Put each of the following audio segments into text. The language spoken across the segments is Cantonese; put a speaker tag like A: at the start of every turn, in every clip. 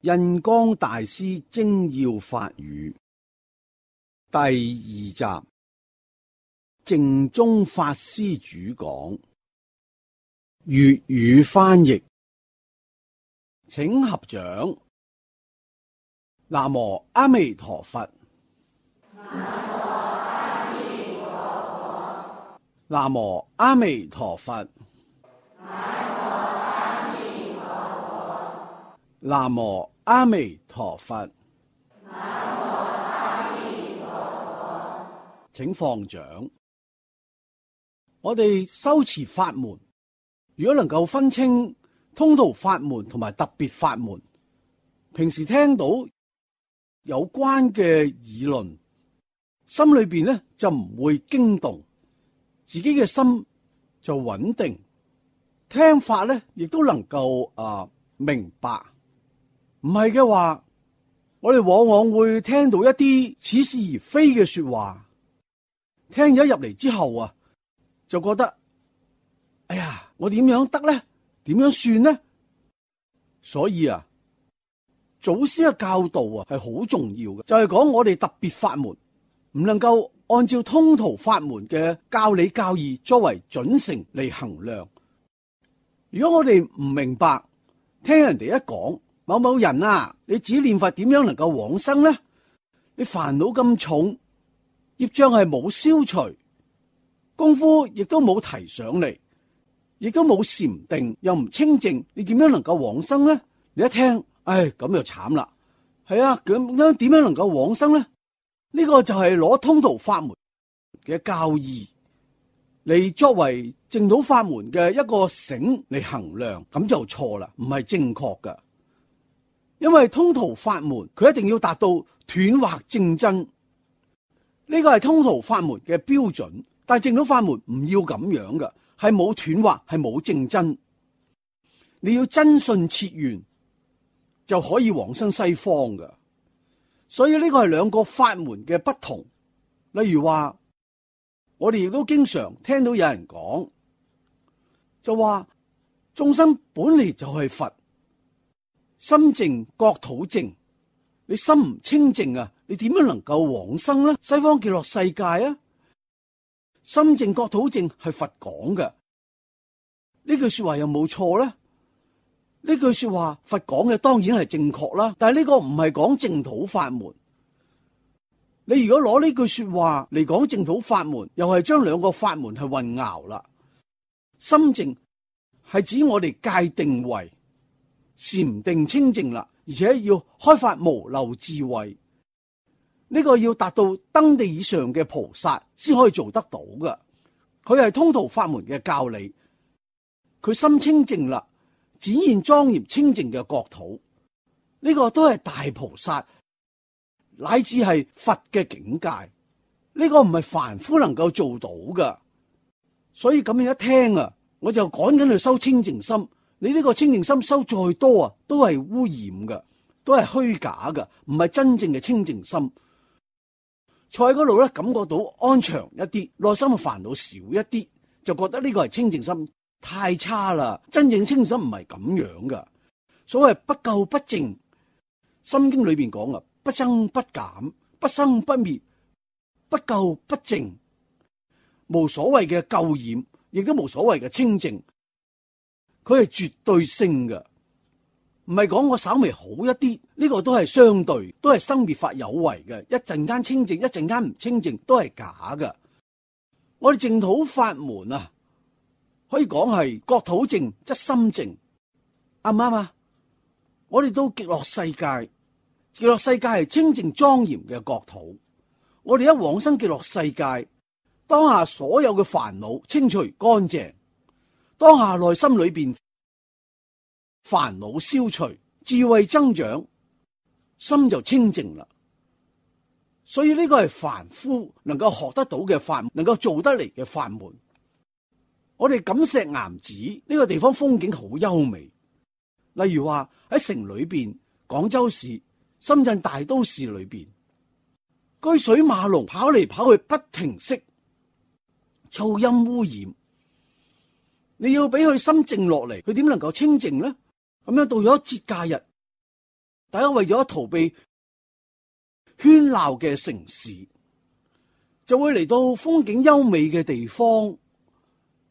A: 印光大師精要法語第2集，淨宗法師主講，粵語翻譯，請合掌。南無阿彌陀佛。南無阿彌陀佛。南無阿彌陀佛。請放掌。我哋修持法門，如果能夠分清通途法門同埋特別法門，平時聽到有關嘅議論，心裏邊咧就唔會驚動，自己嘅心就穩定，聽法咧亦都能夠明白。唔係嘅話，我哋往往會聽到一啲似是而非嘅說話，聽咗入嚟之後就覺得，哎呀，我點樣得呢？點樣算呢？所以祖師嘅教導係好重要嘅，就係講我哋特別法門唔能夠按照通途法門嘅教理教義作為準繩嚟衡量。如果我哋唔明白，聽人哋一講，某某人你自己念佛點樣能夠往生呢？你煩惱咁重，業障係冇消除，功夫亦都冇提上嚟，亦都冇禪定，又唔清淨，你點樣能夠往生呢？你一聽，咁就慘啦。係咁點樣能夠往生呢？呢個就係攞通途法門嘅教義嚟作為淨土法門嘅一個繩嚟衡量，咁就錯啦，唔係正確噶。因為通途法門佢一定要達到斷惑正真，呢個係通途法門嘅標準。但係淨土法門唔要咁樣嘅，係冇斷惑，係冇正真。你要真信切願就可以往生西方嘅。所以呢個係兩個法門嘅不同。例如話，我哋亦都經常聽到有人講，就話眾生本嚟就係佛，心淨國土淨。你心唔清淨你點樣能夠往生呢？西方極樂世界心淨國土淨係佛講嘅，呢句說話有冇錯呢？呢句說話佛講嘅當然係正確啦，但係呢個唔係講淨土法門。你如果攞呢句說話嚟講淨土法門，又係將兩個法門係混淆啦。心淨係指我哋界定為禪定清淨啦，而且要開發無漏智慧，呢個要達到登地以上嘅菩薩先可以做得到嘅。佢係通途法門嘅教理，佢心清淨啦，展現莊嚴清淨嘅國土，呢個都係大菩薩乃至係佛嘅境界，呢個唔係凡夫能夠做到嘅。所以咁樣一聽我就趕緊去修清淨心。你呢個清淨心修再多都係污染嘅，都係虛假嘅，唔係真正嘅清淨心。坐喺嗰度咧，感覺到安詳一啲，內心嘅煩惱少一啲，就覺得呢個係清淨心。太差啦！真正清淨心唔係咁樣噶。所謂不垢不淨，心經裏邊講不增不減，不生不滅，不垢不淨，無所謂嘅垢染，亦都無所謂嘅清淨。佢係絕對性嘅，唔係講我稍微好一啲，呢個都係相對，都係生滅法有為嘅。一陣間清淨，一陣間唔清淨，都係假嘅。我哋淨土法門可以講係國土淨則心淨，啱唔啱啊？我哋到極樂世界，極樂世界係清淨莊嚴嘅國土。我哋一往生極樂世界，當下所有嘅煩惱清除乾淨，當下內心裏邊煩惱消除，智慧增長，心就清淨啦。所以呢個係凡夫能夠學得到嘅法門，能夠做得嚟嘅法門。我哋錦石岩寺呢個地方風景好優美，例如話喺城裏邊，廣州市、深圳大都市裏邊，車水馬龍跑嚟跑去不停息，噪音污染。你要俾佢心靜落嚟，佢點能夠清靜呢？咁樣到咗節假日，大家為咗逃避喧鬧嘅城市，就會嚟到風景優美嘅地方。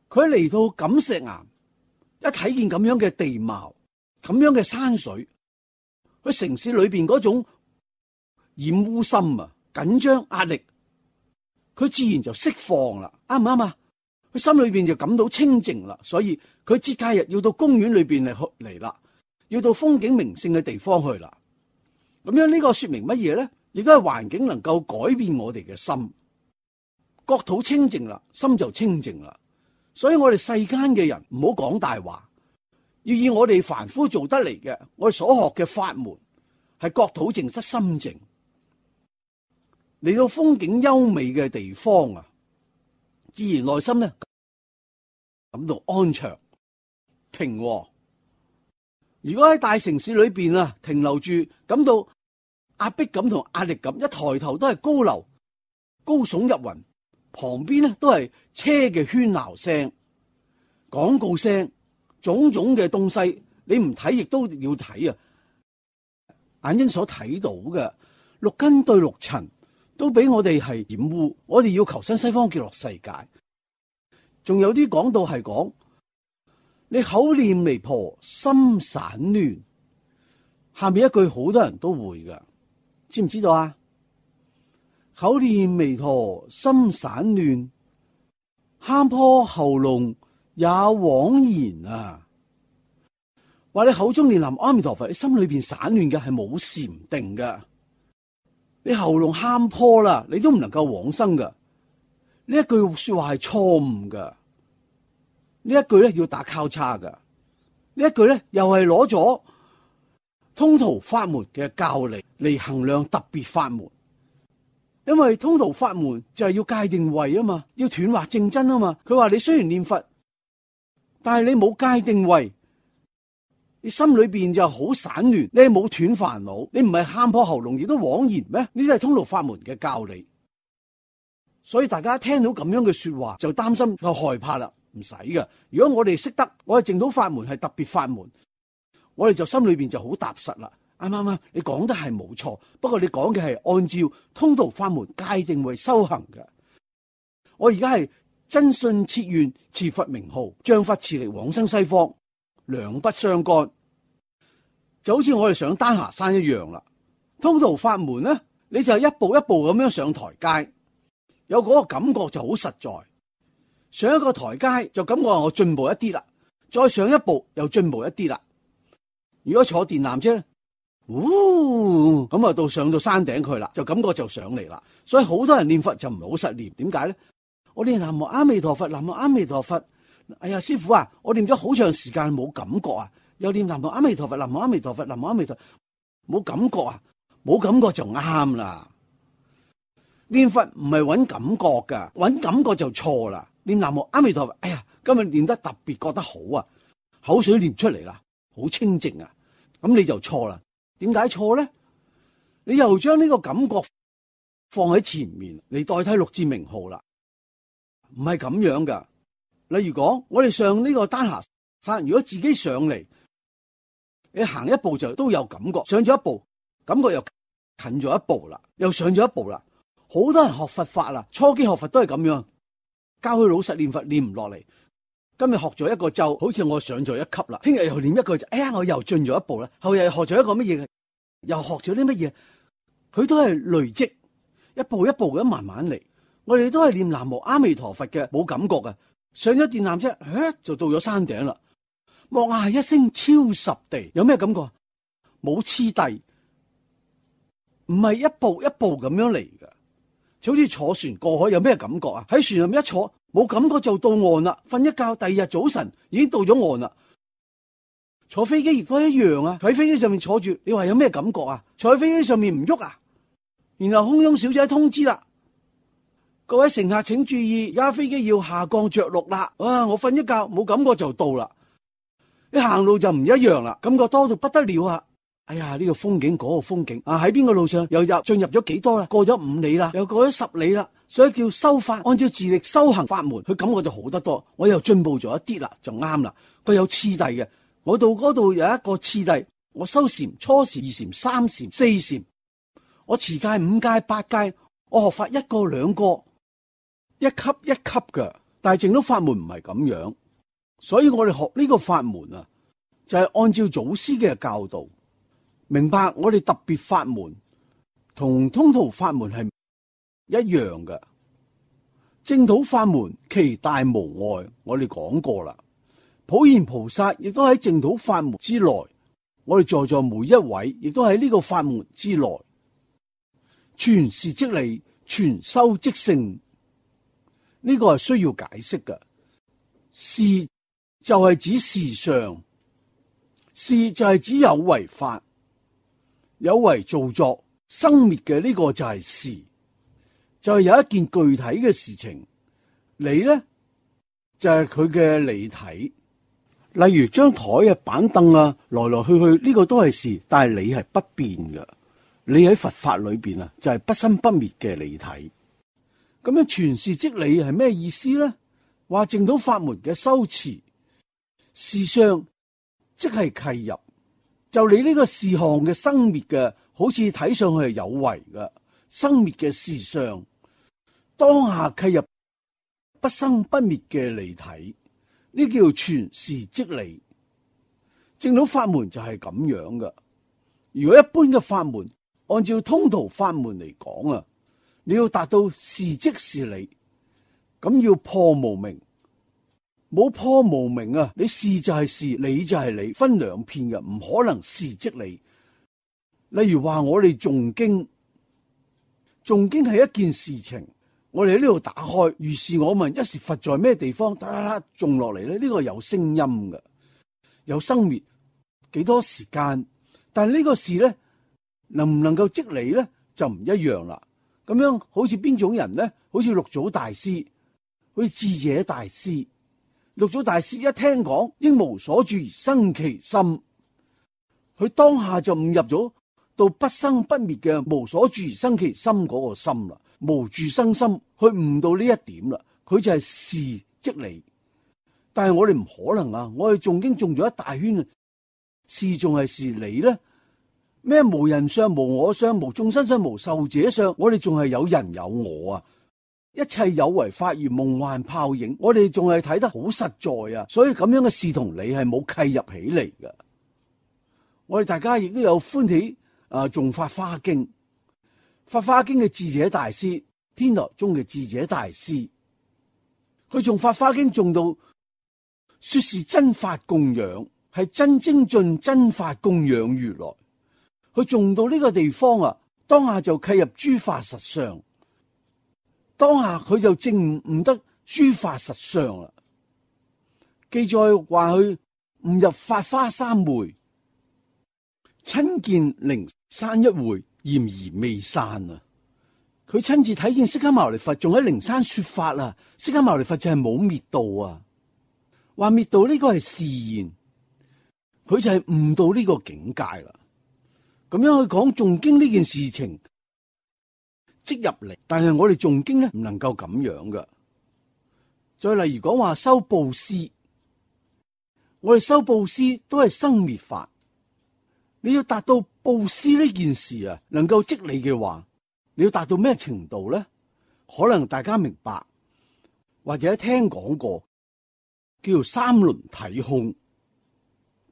A: 佢嚟到錦石岩，一睇見咁樣嘅地貌，咁樣嘅山水，佢城市裏邊嗰種染污心啊、緊張壓力，佢自然就釋放啦，啱唔啱啊？佢心裏邊就感到清靜啦，所以佢節假日要到公園裏邊嚟啦，要到風景名勝嘅地方去啦。咁樣呢個說明乜嘢咧？亦都係環境能夠改變我哋嘅心，國土清靜啦，心就清靜啦。所以我哋世間嘅人唔好講大話，要以我哋凡夫做得嚟嘅，我哋所學嘅法門係國土靜則心靜。嚟到風景優美嘅地方啊，自然內心咧感到安詳平和。如果喺大城市裏邊啊停留住，感到壓迫感同壓力感，一抬頭都係高樓高聳入雲，旁邊咧都係車嘅喧鬧聲、廣告聲，種種嘅東西，你唔睇亦都要睇啊！眼睛所睇到嘅六根對六塵，都俾我哋係染污。我哋要求生西方極樂世界。仲有啲講到係講，你口念彌陀心散亂，下面一句好多人都會噶，知唔知道啊？口念彌陀心散亂，喊破喉嚨也枉然啊！話你口中念南無阿彌陀佛，你心裏邊散亂嘅係冇禪定嘅，你喉嚨喊破啦，你都唔能夠往生噶。呢一句說話係錯誤噶，呢一句咧要打交叉噶，呢一句咧又係攞咗通途法門嘅教理嚟衡量特別法門。因為通途法門就係要界定位啊嘛，要斷惑正真啊嘛。佢話你雖然念佛，但係你冇界定位，你心裏邊就好散亂，你冇斷煩惱，你唔係喊破喉嚨亦都枉然咩？呢啲係通途法門嘅教理。所以大家聽到咁樣嘅說話就擔心就害怕啦，唔使噶。如果我哋識得我哋淨土法門係特別法門，我哋就心裏邊就好踏實啦。啱唔啱？你講得係冇錯，不過你講嘅係按照通途法門界定為修行嘅。我而家係真信切願持佛名號，將佛持力往生西方，兩不相干。就好似我哋上丹霞山一樣啦。通途法門咧，你就係一步一步咁樣上台階，有嗰個感覺就好實在。上一個台階就感覺我進步一啲啦，再上一步又進步一啲啦。如果坐電纜車咧，咁啊到上到山頂去啦，就感覺就上嚟啦。所以好多人念佛就唔係好實念，點解咧？我念南無阿彌陀佛，南無阿彌陀佛。哎呀，師父啊，我念咗好長時間冇感覺啊，又念南無阿彌陀佛，南無阿彌陀佛，南無阿彌陀佛，冇感覺啊，冇感覺就啱啦。念佛唔係揾感覺噶，揾感覺就錯啦。念南無阿彌陀佛，哎呀，今日念得特別覺得好啊，口水念出嚟啦，好清靜啊，咁你就錯啦。點解錯咧？你又將呢個感覺放喺前面嚟代替六字名號啦，唔係咁樣噶。例如講，我哋上呢個丹霞山，如果自己上嚟，你行一步就都有感覺，上咗一步，感覺又近咗一步啦，又上咗一步啦。好多人學佛法啦，初期學佛都係咁樣，教佢老實念佛，念唔落嚟。今日學咗一個咒，好似我上咗一級啦。聽日又念一個咒，哎呀，我又進咗一步啦。後日又學咗一個乜嘢嘅，又學咗啲乜嘢？佢都係累積，一步一步咁慢慢嚟。我哋都係念南無阿彌陀佛嘅，冇感覺嘅。上咗電纜車，就到咗山頂啦。莫嗌一聲超十地，有咩感覺？冇次第，唔係一步一步咁樣嚟嘅。就好似坐船過海，有咩感覺啊？喺船入面一坐，冇感覺就到岸啦。瞓一覺，第二日早晨已經到咗岸啦。坐飛機亦都一樣啊！喺飛機上面坐住，你話有咩感覺啊？坐喺飛機上面唔喐啊？然後空中小姐通知啦，各位乘客請注意，而家飛機要下降着陸啦。哇！我瞓一覺冇感覺就到啦。你行路就唔一樣啦，感覺多到不得了啊！哎呀，呢個風景嗰個風景啊，喺邊個路上又進入咗幾多啦？過咗5里啦，又過咗10里啦，所以叫修法，按照自力修行法門，佢感覺就好得多。我又進步咗一啲啦，就啱啦。佢有次第嘅，我到嗰度有一個次第，我修禪、初禪、二禪、三禪、四禪，我持戒、五戒、八戒，我學法一個兩個，一級一級嘅。但係淨土法門唔係咁樣，所以我哋學呢個法門啊，就係按照祖師嘅教導，明白我哋特別法門同通途法門係一樣嘅。淨土法門其大無礙，我哋講過啦。普賢菩薩亦都喺淨土法門之內，我哋在座每一位亦都喺呢個法門之內。傳事即理，傳修即聖，呢個係需要解釋嘅。事就係指事上，事就係指有為法，有為造作生滅嘅呢個就係事，就係有一件具體嘅事情。理呢就係佢嘅理體。例如張台啊、板凳啊，來來去去呢個都係事，但係理係不變嘅。理喺佛法裏邊啊，就係不生不滅嘅理體。咁樣傳事即理係咩意思呢？話淨土法門嘅修持，事相即係契入，就你呢個事項嘅生滅嘅，好似睇上去係有為嘅生滅嘅事相，當下契入不生不滅嘅理體。呢叫傳事即理，淨土法門就係咁樣嘅。如果一般嘅法門，按照通途法門嚟講啊，你要達到事即是理，咁要破無明，冇破無明啊，你事就係事，理就係理，分兩片嘅，唔可能事即理。例如話我哋誦經，誦經係一件事情。我哋喺呢度打開，如是我問，一時佛在咩地方？噠啦啦種落嚟咧，呢個有聲音嘅，有生滅，幾多時間？但係呢個事咧，能唔能夠即理咧，就唔一樣啦。咁樣好似邊種人咧？好似六祖大師，好似智者大師。六祖大師一聽講，應無所住而生其心，佢當下就悟入咗到不生不滅嘅無所住而生其心嗰個心啦。無住生心，去悟到呢一點啦，佢就係事即理。但係我哋唔可能啊！我哋誦經誦咗一大圈啊，事仲係事，理咧咩？無人相、無我相、無眾生相、無壽者相，我哋仲係有人有我啊！一切有為法如夢幻泡影，我哋仲係睇得好實在啊！所以咁樣嘅事同理係冇契入起嚟嘅。我哋大家亦都有歡喜誦法華經。法華經嘅智者大師，天台宗嘅智者大師，佢從法華經誦到說是真法供養，係真精進真法供養如來。佢誦到呢個地方啊，當下就契入諸法實相，當下佢就證悟得諸法實相啦。記載話佢悟入法華三昧，親見靈山一會。嫌而未散啊！佢親自睇見釋迦牟尼佛仲喺靈山說法啊！釋迦牟尼佛就係冇滅度啊！話滅度呢個係示現，佢就係悟到呢個境界啦。咁樣去講誦經呢件事情即入嚟，但係我哋誦經咧唔能夠咁樣噶。再例如講話修布施，我哋修布施都係生滅法。你要達到布施呢件事啊，能夠即理嘅話，你要達到咩程度咧？可能大家明白，或者聽講過，叫做三輪體空。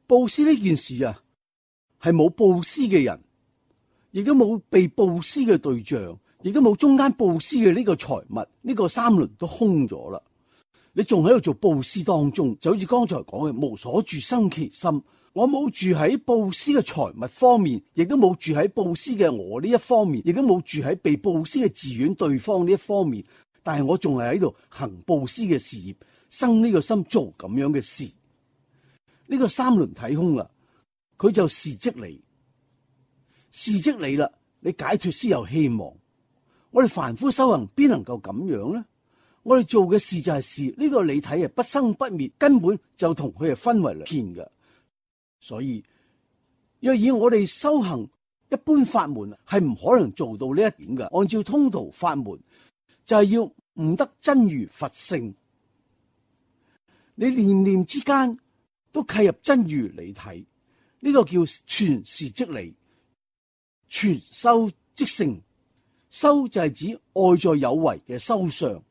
A: 布施呢件事啊，係冇布施嘅人，亦都冇被布施嘅對象，亦都冇中間布施嘅呢個財物，呢個三輪都空咗啦。你仲喺度做布施當中，就好似剛才講嘅，無所住生其心。我冇住喺布施嘅財物方面，亦都冇住喺布施嘅我呢一方面，亦都冇住喺被布施嘅自願對方呢一方面。但係我仲係喺度行布施嘅事業，生呢個心做咁樣嘅事。呢個三輪體空啦，佢就事即理，事即理啦，你解脫先有希望。我哋凡夫修行邊能夠咁樣呢？我哋做嘅事就係事，呢個理體係不生不滅，根本就同佢係分為兩片嘅。所以，若以我哋修行一般法門，係唔可能做到呢一點嘅。按照通途法門，就係要悟得真如佛性。你念念之間都契入真如理體，呢個叫傳是即理，傳修即性。修就係指外在有為嘅修相，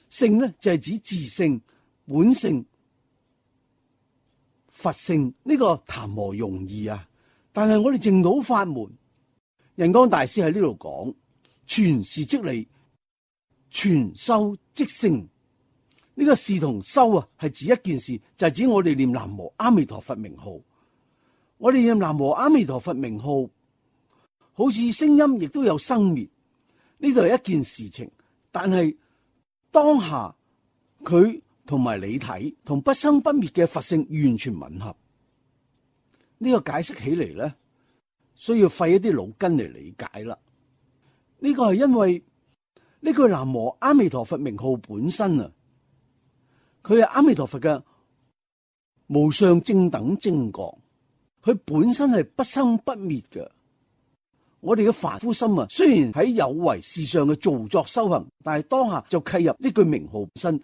A: 性呢就係指自性、本性、佛性。呢個談何容易啊！但係我哋淨土法門，仁光大師喺呢度講，傳是即理，傳修即性。呢個是同修啊，係指一件事，就係指我哋念南無阿彌陀佛名號。我哋念南無阿彌陀佛名號，好似聲音亦都有生滅，呢度係一件事情。但係當下佢同埋理體同不生不滅嘅佛性完全吻合。呢個解釋起嚟咧，需要費一啲腦筋嚟理解啦。呢個係因為呢句南無阿彌陀佛名號本身啊，佢係阿彌陀佛嘅無上正等正覺。佢本身係不生不滅嘅。我哋嘅凡夫心啊，雖然喺有為事上嘅造作修行，但係當下就契入呢句名號本身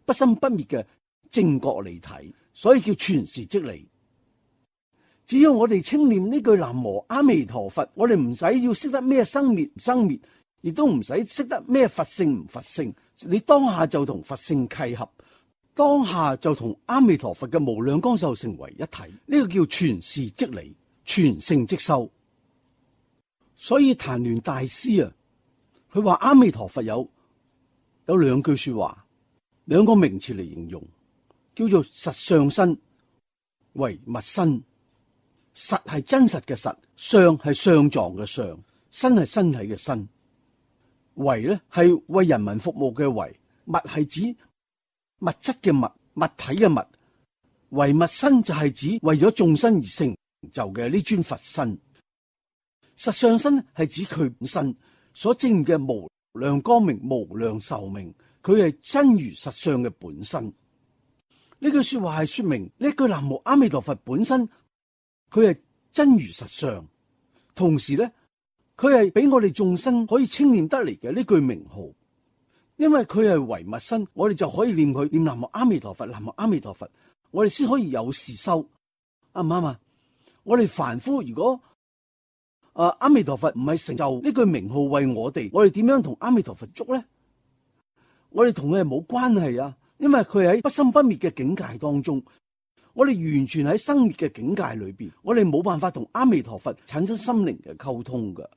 A: 不生不滅嘅正覺理體，所以叫傳是即理。只要我哋稱念呢句南無阿彌陀佛，我哋唔使要識得咩生滅唔生滅，亦都唔使識得咩佛性唔佛性，你當下就同佛性契合。當下就同阿彌陀佛嘅無量光壽成為一體，呢個叫傳是即理，傳性即修。所以曇鸞大師啊，佢話阿彌陀佛有兩句說話，兩個名詞嚟形容，叫做實相身、唯物身。實係真實嘅實，相係相狀嘅相，身係身體嘅身。唯呢係為人民服務嘅唯，物係指物質嘅物，物體嘅物。唯物身就係指為咗眾生而成就嘅呢尊佛身。實相身係指佢本身所證嘅無量光明、無量壽命，佢係真如實相嘅本身。呢句說話係說明呢句南無阿彌陀佛本身，佢係真如實相，同時咧，佢係俾我哋眾生可以稱念得嚟嘅呢句名號。因為佢係唯物身，我哋就可以念佢，念南無阿彌陀佛，南無阿彌陀佛，我哋先可以有事修，啱唔啱啊？我哋凡夫如果阿彌陀佛唔係成就呢句名號為我哋點樣同阿彌陀佛捉咧？我哋同佢係冇關係啊，因為佢喺不生不滅嘅境界當中，我哋完全喺生滅嘅境界裏邊，我哋冇辦法同阿彌陀佛產生心靈嘅溝通噶，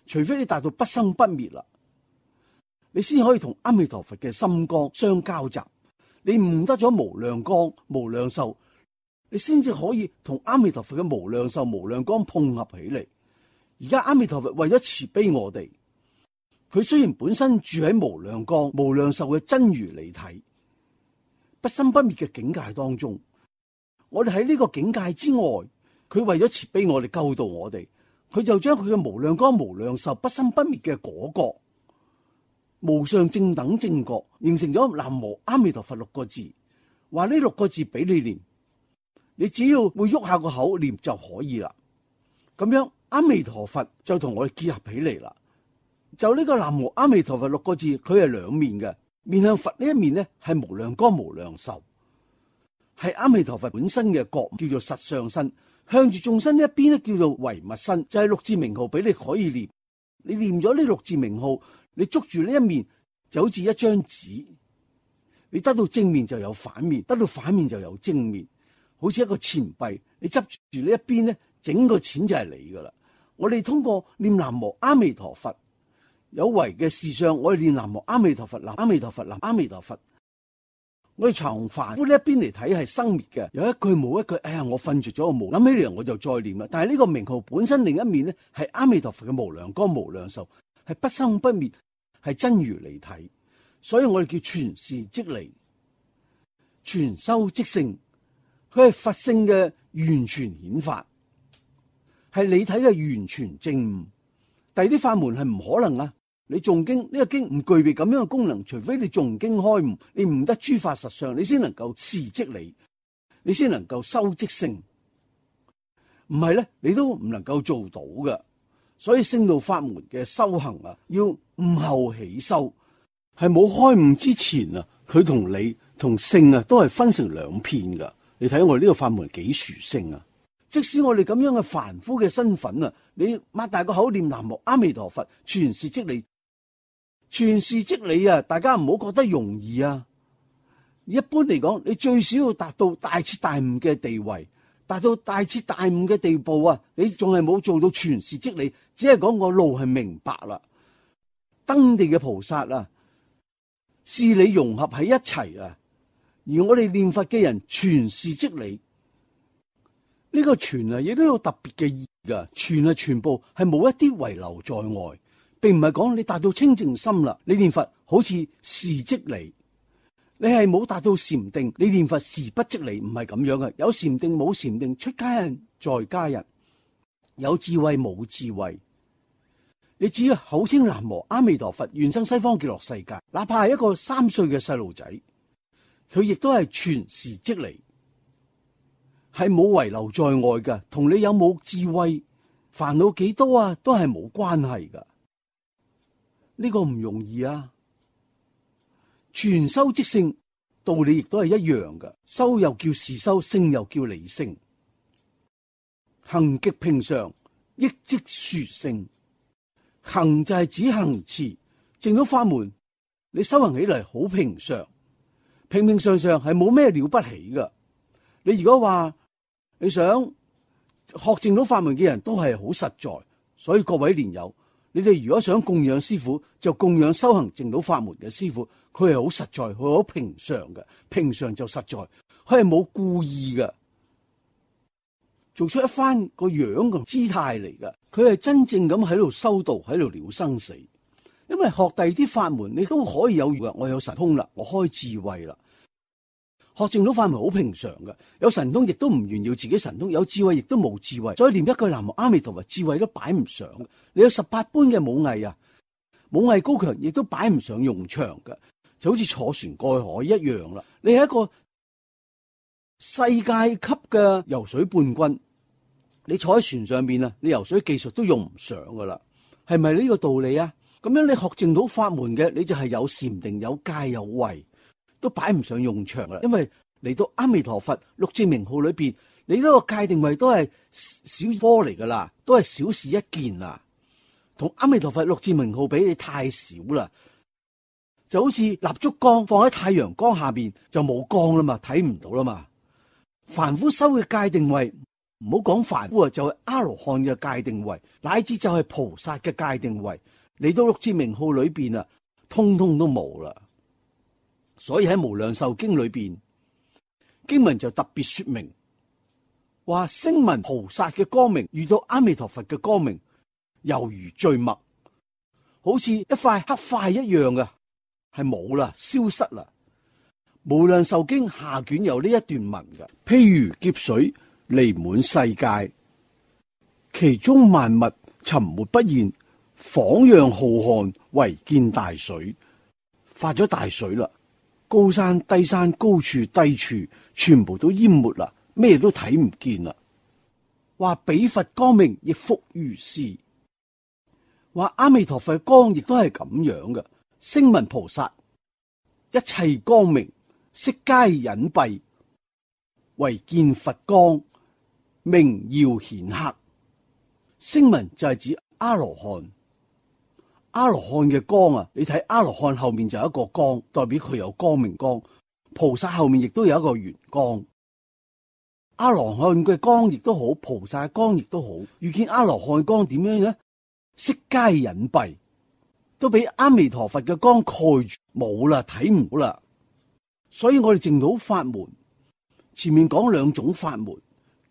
A: 除非你達到不生不滅啦。你先可以同阿彌陀佛嘅心光相交集，你悟得咗無量光、無量壽，你先至可以同阿彌陀佛嘅無量壽、無量光碰合起嚟。而家阿彌陀佛為咗慈悲我哋，佢雖然本身住喺無量光、無量壽嘅真如理體、不生不滅嘅境界當中，我哋喺呢個境界之外，佢為咗慈悲我哋、救度我哋，佢就將佢嘅無量光、無量壽、不生不滅嘅果覺、無上正等正覺，形成咗南無阿彌陀佛6個字，話呢6個字俾你念，你只要會喐下個口念就可以啦。咁樣阿彌陀佛就同我哋結合起嚟啦。就呢個南無阿彌陀佛6個字，佢係兩面嘅，面向佛呢一面呢係無量光無量壽，係阿彌陀佛本身嘅覺，叫做實相身；向住眾生呢一邊呢，叫做唯物身，就係6字名號俾你可以念。你念咗呢6字名號，你捉住呢一面就好似一張紙，你得到正面就有反面，得到反面就有正面，好似一個錢幣，你執住呢一邊呢，整個錢就係你噶啦。我哋通過念南無阿彌陀佛，有為嘅事上，我哋念南無阿彌陀佛，南阿彌陀佛，南阿彌陀佛。我哋從凡夫呢一邊嚟睇係生滅嘅，有一句冇一句，哎呀，我瞓住咗我冇諗起嚟，我就再念啦。但係呢個名號本身另一面呢，係阿彌陀佛嘅無量光無量壽，係不生不滅，係真如理體，所以我哋叫傳是即理，傳修即性。佢係佛性嘅完全顯發，係理體嘅完全證悟。第二啲法門係唔可能啊！你誦經呢個經唔具備咁樣嘅功能，除非你誦經開悟，你悟得諸法實相，你先能夠示即理，你先能夠修即性。唔係咧，你都唔能夠做到嘅。所以聖道法門嘅修行啊，要悟後起修，係冇開悟之前啊，佢同理同性啊都係分成兩片噶。你睇我哋呢個法門幾殊勝啊！即使我哋咁樣嘅凡夫嘅身份啊，你擘大個口念南無阿彌陀佛，傳事即理，傳事即理啊！大家唔好覺得容易啊。一般嚟講，你最少要達到大徹大悟嘅地位，達到大徹大悟嘅地步啊！你仲係冇做到傳事即理，只係講個路係明白啦。登地嘅菩薩啊，事理融合喺一齊啊，而我哋念佛嘅人傳事即理。呢個傳啊，亦都有特別嘅意義噶。傳啊，全部係冇一啲遺留在外，並唔係講你達到清淨心啦，你念佛好似事即理。你係冇達到禪定，你念佛事不即理，唔係咁樣嘅。有禪定冇禪定，出家人在家人，有智慧冇智慧。你只要口稱南無阿彌陀佛，願生西方極樂世界，哪怕係一個3歲嘅細路仔，佢亦都係傳事即理。係冇遺留在外嘅，同你有冇智慧、煩惱幾多啊，都係冇關係噶。呢個唔容易啊！傳修即聖，道理亦都係一樣嘅。修又叫事修，聖又叫理聖。行極平常，益即殊勝。行就係指行持，證到法門，你修行起嚟好平常，平平常常係冇咩了不起噶。你如果話你想學證到法門嘅人都係好實在，所以各位蓮友，你哋如果想供養師父，就供養修行證到法門嘅師父，佢係好實在，佢好平常嘅，平常就實在，佢係冇故意嘅，做出一番個樣嘅姿態嚟嘅，佢係真正咁喺度修道，喺度了生死。因為學第二啲法門，你都可以有嘅，我有神通啦，我開智慧啦。學證到法門好平常嘅，有神通亦都唔炫耀自己神通，有智慧亦都冇智慧，所以念一句南無阿彌陀佛，智慧都擺唔上。你有18般嘅武藝啊，武藝高強亦都擺唔上用場嘅，就好似坐船過海一樣啦。你係一個世界級嘅游水冠軍，你坐喺船上邊啊，你游水技術都用唔上噶啦，係咪呢個道理啊？咁樣你學證到法門嘅，你就係有禪定、有戒、有慧。都擺唔上用場啦，因為嚟到阿彌陀佛六字名號裏邊，你呢個戒定慧都係小科嚟噶啦，都係小事一件啦。同阿彌陀佛六字名號比，你太少啦，就好似蠟燭光放喺太陽光下邊就冇光啦嘛，睇唔到啦嘛。凡夫修嘅戒定慧，唔好講凡夫啊，就係阿羅漢嘅戒定慧，乃至就係菩薩嘅戒定慧，嚟到六字名號裏邊啊，通通都冇啦。所以喺無量壽經裏邊，經文就特別說明，話聲聞菩薩嘅光明遇到阿彌陀佛嘅光明，猶如醉墨，好似一塊黑塊一樣嘅，係冇啦，消失啦。無量壽經下卷有呢一段文嘅，譬如劫水彌滿世界，其中萬物沉沒不現，仿若浩瀚，唯見大水，發咗大水啦。高山低山，高處低處，全部都淹沒啦，咩都睇唔見啦。話彼佛光明亦復如是，話阿彌陀佛嘅光亦都係咁樣嘅。聲聞菩薩一切光明悉皆隱蔽，唯見佛光明耀顯赫。聲聞就係指阿羅漢。阿羅漢嘅光啊，你睇阿羅漢後面就有一個光，代表佢有光明光。菩薩後面亦都有一個圓光。阿羅漢嘅光亦都好，菩薩嘅光亦都好。遇見阿羅漢光點樣呢？悉皆隱蔽，都俾阿彌陀佛嘅光蓋住，冇啦，睇唔到啦。所以我哋證到法門，前面講兩種法門，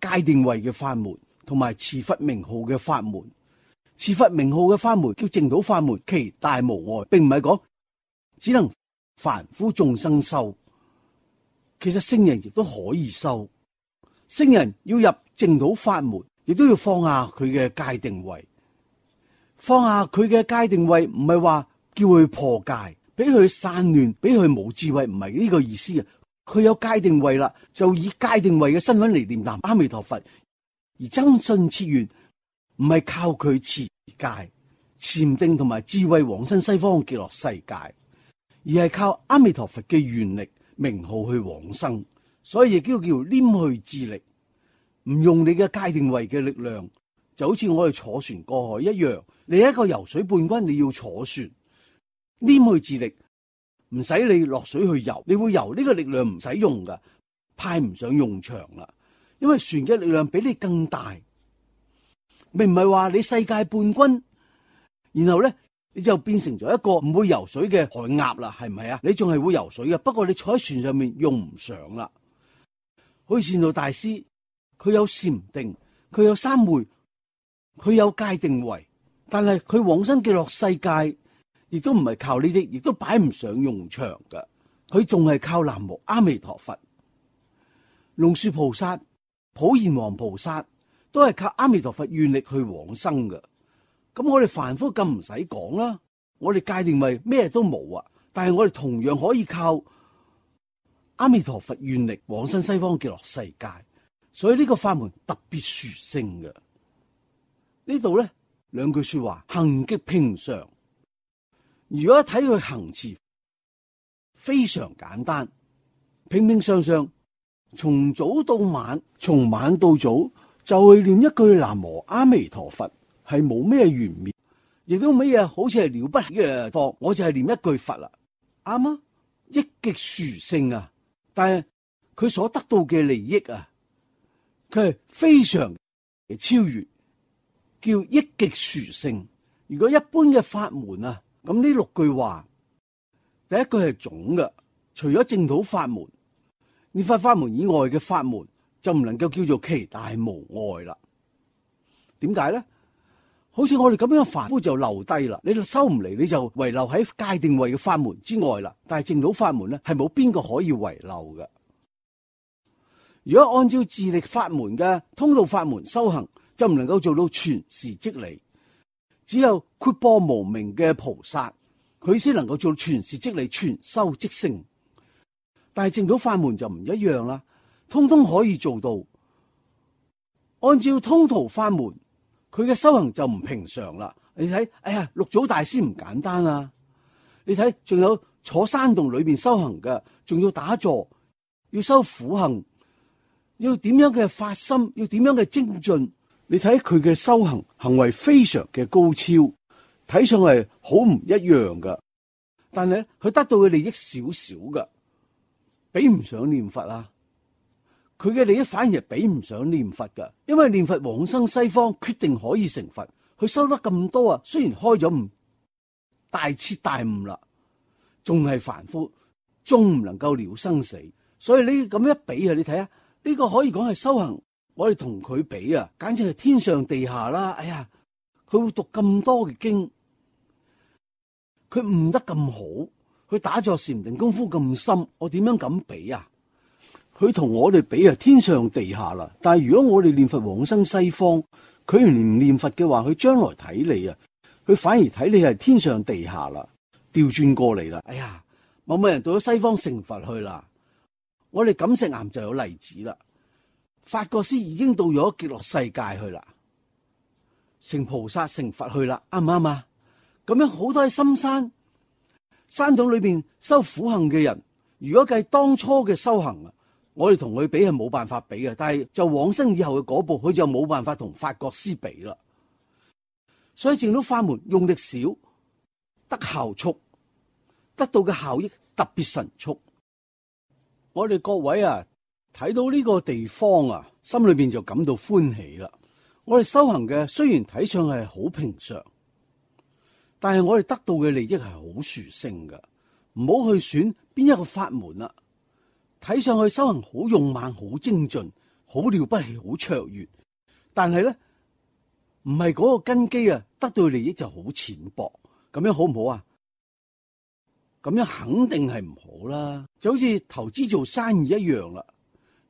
A: 戒定慧嘅法門，同埋持佛名號嘅法門。持佛名號嘅法門叫證到法門，其大無礙，並唔係講只能凡夫眾生修，其實聖人亦都可以修。聖人要入證到法門，亦都要放下佢嘅戒定慧。放下佢嘅戒定慧，唔係話叫佢破戒，俾佢散亂，俾佢冇智慧，唔係呢個意思啊。佢有戒定慧啦，就以戒定慧嘅身份嚟念南阿彌陀佛，而真信切願。唔係靠佢持戒、禪定同埋智慧往生西方極樂世界，而係靠阿彌陀佛嘅願力名號去往生，所以亦都叫黏去智力。唔用你嘅界定位嘅力量，就好似我哋坐船過海一樣。你係一個游水冠軍，你要坐船，黏去智力，唔使你落水去游，你會游，呢個力量唔使用噶，派唔上用場啦。因為船嘅力量比你更大，並唔係話你世界冠軍，然後咧你就變成咗一個唔會游水嘅海鴨啦，係唔係啊？你仲係會游水嘅，不過你坐喺船上面用唔上啦。好似善導大師，佢有禪定，佢有三昧，佢有界定位，但係佢往生極樂世界，亦都唔係靠呢啲，亦都擺唔上用場噶。佢仲係靠南無阿彌陀佛。龍樹菩薩、普賢王菩薩都係靠阿彌陀佛願力去往生噶。咁我哋凡夫更唔使講啦，我哋界定為咩都冇啊，但係我哋同樣可以靠阿彌陀佛願力往生西方極樂世界，所以呢個法門特別殊勝嘅。呢度咧兩句說話，行極平常。如果一睇佢行持非常簡單，平平常常，從早到晚，從晚到早就去念一句南無阿彌陀佛，係冇咩玄妙，亦都咩嘢好似係了不起嘅課，我就係念一句佛啦，啱啊，益極殊勝啊！但係佢所得到嘅利益啊，佢係非常嘅超越，叫益極殊勝。如果一般嘅法門啊，咁呢六句話，第一句係總嘅，除咗淨土法門、念佛法門以外嘅法門，就唔能夠叫做其大無礙啦。點解咧？好似我哋咁樣凡夫就留低啦，你收唔嚟，你就遺留喺界定位嘅法門之外啦。但係淨土法門咧，係冇邊個可以遺留嘅。如果按照自力法門嘅通道法門修行，就唔能夠做到傳事即理。只有闊波無明嘅菩薩，佢先能夠做傳事即理，傳修即成。但係淨土法門就唔一樣啦，通通可以做到。按照通途法門，佢嘅修行就唔平常啦。你睇，哎呀，六祖大師唔簡單啊！你睇，仲有坐山洞裏邊修行嘅，仲要打坐，要修苦行，要點樣嘅發心，要點樣嘅精進。你睇佢嘅修行行為非常嘅高超，睇上嚟好唔一樣噶。但係佢得到嘅利益少少噶，比唔上念佛啊。佢嘅利益反而係比唔上念佛噶，因為念佛往生西方，決定可以成佛。佢收得咁多啊，雖然開咗悟，大徹大悟啦，仲係凡夫，仲唔能夠了生死。所以你咁一比啊，你睇下呢個可以講係修行。我哋同佢比啊，簡直係天上地下啦！哎呀，佢會讀咁多嘅經，佢悟得咁好，佢打坐禪定功夫咁深，我點樣敢比啊？佢同我哋比啊，天上地下啦！但係如果我哋念佛往生西方，佢唔念佛嘅話，佢將來睇你啊，佢反而睇你係天上地下啦，調轉過嚟啦！哎呀，某某人到咗西方成佛去啦，我哋錦石岩就有例子啦。法國師已經到咗極樂世界去啦，成菩薩成佛去啦，啱唔啱啊？咁樣好多喺深山山洞裏邊修苦行嘅人，如果計當初嘅修行啊，我哋同佢比係冇辦法比嘅。但係就往生以後嘅嗰步，佢就冇辦法同法國師比啦。所以淨土法門用力少，得效速，得到嘅效益特別神速。我哋各位啊，睇到呢個地方啊，心裏邊就感到歡喜啦。我哋修行嘅雖然睇上係好平常，但係我哋得到嘅利益係好殊勝嘅。唔好去選邊一個法門啦，睇上去修行好勇猛、好精進、好了不起、好卓越，但係咧唔係嗰個根基啊，得到嘅利益就好淺薄。咁樣好唔好啊？咁樣肯定係唔好啦。就好似投資做生意一樣啦。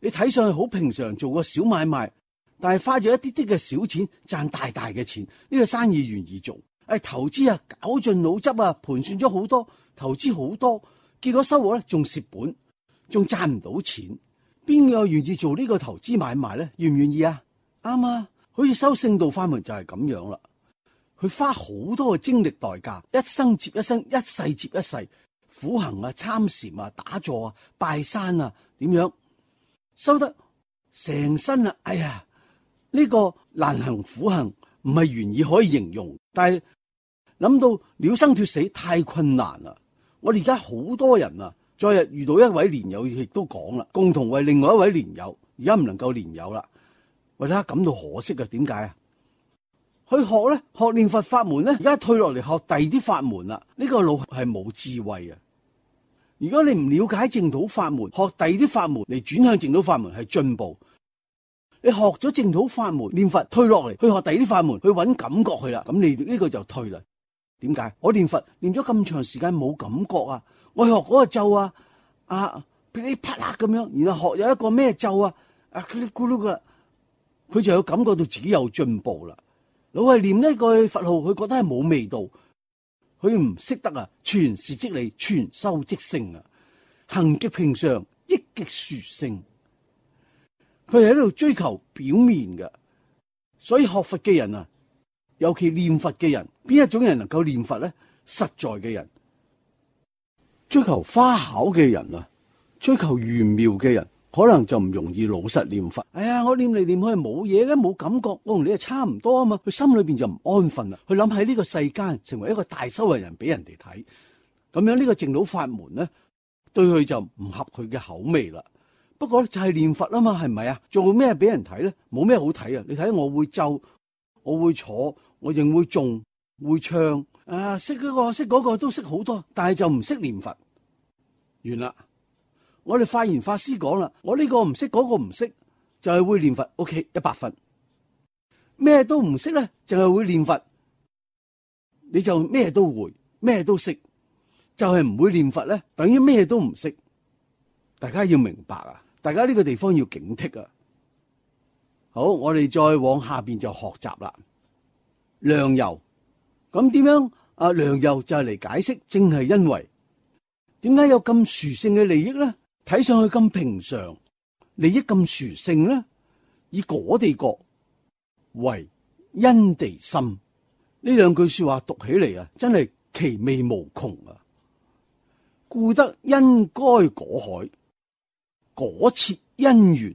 A: 你睇上去好平常，做個小買賣，但係花咗一啲啲嘅小錢賺大大嘅錢，呢個生意願意做。投資啊，絞盡腦汁啊，盤算咗好多，投資好多，結果收穫咧仲蝕本，仲賺唔到錢。邊個願意做呢個投資買賣咧？願唔願意啊？啱啊！好似修聖道法門就係咁樣啦。佢花好多嘅精力代價，一生接一生，一世接一世，苦行啊、參禪啊、打坐啊、拜山啊，點樣？收得成身啊！哎呀，呢個難行苦行唔係言語可以形容，但係諗到了生脫死太困難啦。我哋而家好多人啊，昨日遇到一位蓮友亦都講啦，共同為另外一位蓮友而家唔能夠蓮友啦，為他感到可惜啊。點解啊？去學咧，學念佛法門咧，而家退落嚟學第二啲法門啦。呢個路係冇智慧啊！如果你唔了解淨土法門，學第二啲法門嚟轉向淨土法門係進步。你學咗淨土法門念佛，退落嚟去學第二啲法門，去揾感覺去啦，咁你呢個就退啦。點解？我念佛念咗咁長時間冇感覺啊！我學嗰個咒啊，噼里啪啦咁樣，然後學有一個咩咒啊，咕嚕咕嚕噶，佢就有感覺到自己有進步啦。老係念呢句佛號，佢覺得係冇味道，佢唔識得啊，傳事即理，傳修即聖啊，行極平常，益極殊勝。佢係喺度追求表面嘅，所以學佛嘅人啊，尤其念佛嘅人，邊一種人能夠念佛咧？實在嘅人，追求花巧嘅人啊，追求玄妙嘅人，可能就唔容易老實念佛。哎呀，我念嚟念去冇嘢嘅，冇感覺，我同你係差唔多啊嘛。佢心裏邊就唔安分啦，佢諗喺呢個世間成為一個大修為人俾人哋睇，咁樣呢個淨土法門咧，對佢就唔合佢嘅口味啦。不過就係念佛啊嘛，係咪啊？做咩俾人睇咧？冇咩好睇啊！你睇我會咒，我會坐，我仍會誦，會唱啊，識嗰個識嗰個都識好多，但係就唔識念佛。完啦！我哋法言法師講啦，我呢個唔識，嗰個唔識，就係會念佛。OK， 100分。咩都唔識咧，就係會念佛，你就咩都會，咩都識，就係唔會念佛咧，等於咩都唔識。大家要明白啊！大家呢個地方要警惕啊！好，我哋再往下邊就學習啦。良由，咁點樣啊？良由就係嚟解釋，正係因為點解有咁殊勝嘅利益咧？睇上去咁平常，利益咁殊勝咧？以果地覺為因地心，呢兩句說話讀起嚟啊，真係其味無窮啊！故得因該果海，果設因緣，